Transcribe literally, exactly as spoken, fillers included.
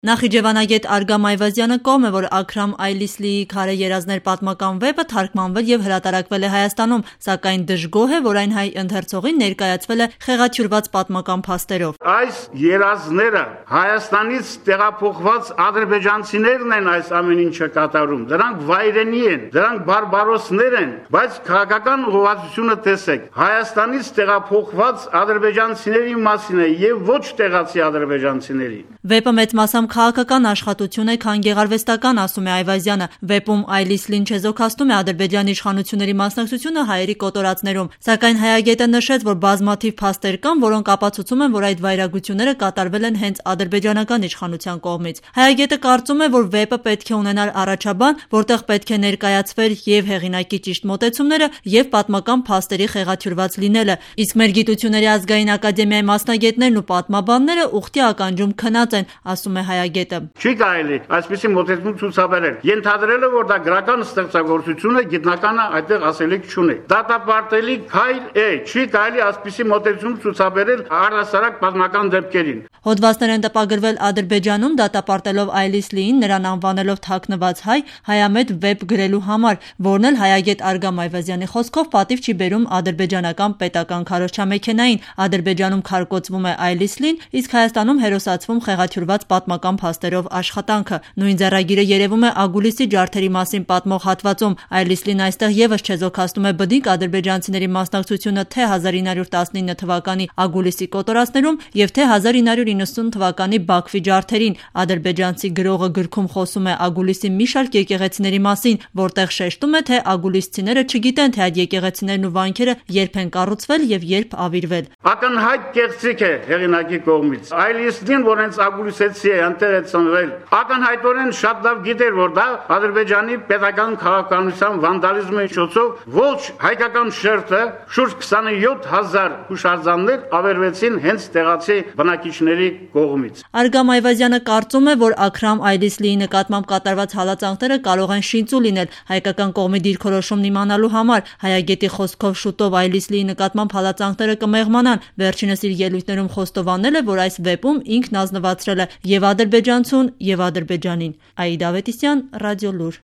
Նախիջևանագետ Արգամ Այվազյանը կողմ է, որ Աքրամ Այլիսլիի «Քարե երազներ» պատմական վեպը թարգմանվել եւ հրատարակվել է Հայաստանում, սակայն դժգոհ է, որ այն հայ ընթերցողին ներկայացվել է խեղաթյուրված պատմական փաստերով։ Այս երազները Հայաստանից տեղափոխված ադրբեջանցիներն են այս ամեն ինչը կատարում։ Դրանք վայրենի են, դրանք բարբարոսներ են, բայց քաղաքական ուղղվածությունը տեսեք։ Հայաստանից տեղափոխված ադրբեջանցիների մասին է եւ ոչ տեղացի ադրբեջանցիների։ Վեպը մեծ մասամբ քաղաքական աշխատություն է, քան գեղարվեստական, ասում է Այվազյանը։ Վեպում Այլիսլին չեզոքացնում է Ադրբեջանի իշխանությունների մասնակցությունը հայերի կոտորածներում, սակայն հայագետը նշեց, որ բազմաթիվ փաստեր կան, որոնք ապացուցում են, որ այդ վայրագությունները կատարվել են հենց ադրբեջանական իշխանության կողմից։ Հայագետը կարծում է, որ վեպը պետք է ունենար առաջաբան, որտեղ պետք է ներկայացվեր եւ հեղինակի ճիշտ մոտեցումները եւ պատմական փաստերի խեղաթյուրված լինելը, իսկ մեր Գիտությունների ազգային ակադեմիայի մասնագետներն ու պատմաբանները ուխտի ականջում քնած են, ասում է հայագետը։ Չի կարելի այսպիսի մոտեցում ցուցաբերել։ Ենթադրելը, որ դա գրական ստեղծագործություն է, գիտնականը այդտեղ ասելիք չունի։ Դատապարտելի քայլ է, չի կարելի այսպիսի մոտեցում ցուցաբերել առհասարակ պատմական դեպքերին։ Հոդվածներ են տպագրվել Ադրբեջանում, դատապարտելով Այլիսլիին, նրան անվանելով թաքնված հայ, հայամետ վեպ գրելու համար, որն էլ հայագետ Արգամ Այվազյանի խոսքով պատիվ չի բերում ադրբեջանական պետական քարոզչամեքենային։ Ադրբեջանում քարկոծվում է Այլիսլին, իսկ Հայաստանում հերոսացվում խեղաթյուրված պատմական փաստերով աշխատանքը։ Նույն ձեռագիրը երևում է Ագուլիսի ջարդերի մասին պատմող հատվածում։ Այլիսլին այստեղ եւս չեզոքացնում է բնիկ ադրբեջանցիների մասնակցությունը թե հազար ինը հարյուր տասնինը թվականի Ագուլիսի կոտորածներում եւ թե հազար ինը հարյուր իննսուն թվականի Բաքվի ջարդերին։ Ադրբեջանցի գրողը գրքում խոսում է Ագուլիսի մի շարք եկեղեցիների մասին, որտեղ շեշտում է, թե ագուլիսցիները չգիտեն, թե այդ եկեղեցիներն ու վանքերը երբ են կառուցվել եւ երբ ավիրվել։ Ակնհայտ կեղծիք է հեղինակի կողմից։ Այլիսլին, որ հենց ագուլիսեցի է, անտեղ է ծնվել, ակնհայտորեն շատ լավ գիտեր, որ դա Ադրբեջանի պետական քաղաքականության վանդալիզմի միջոցով ոչ հայկական շերտը շուրջ քսաներկու հազար հուշարձաններ ավերվեցին հենց տեղացի բնակիչների կողմից։ Արգամ Այվազյանը կարծում է, որ Աքրամ Այլիսլիի նկատմամբ կատարված հալածանքները կարող են շինծու լինել հայկական կողմի դիրքորոշումն իմանալու համար։ Հայագետի խոսքով շուտով Այլիսլիի նկատմամբ հալածանքները կմեղմանան։ Վերջինս իր ելույթներում խոստովանել է, որ այս վեպում ինքն ազնվացրել է եւ ադրբեջանցուն եւ Ադրբեջանին։ Աիդա Ավետիսյան, Ռադիոլուր։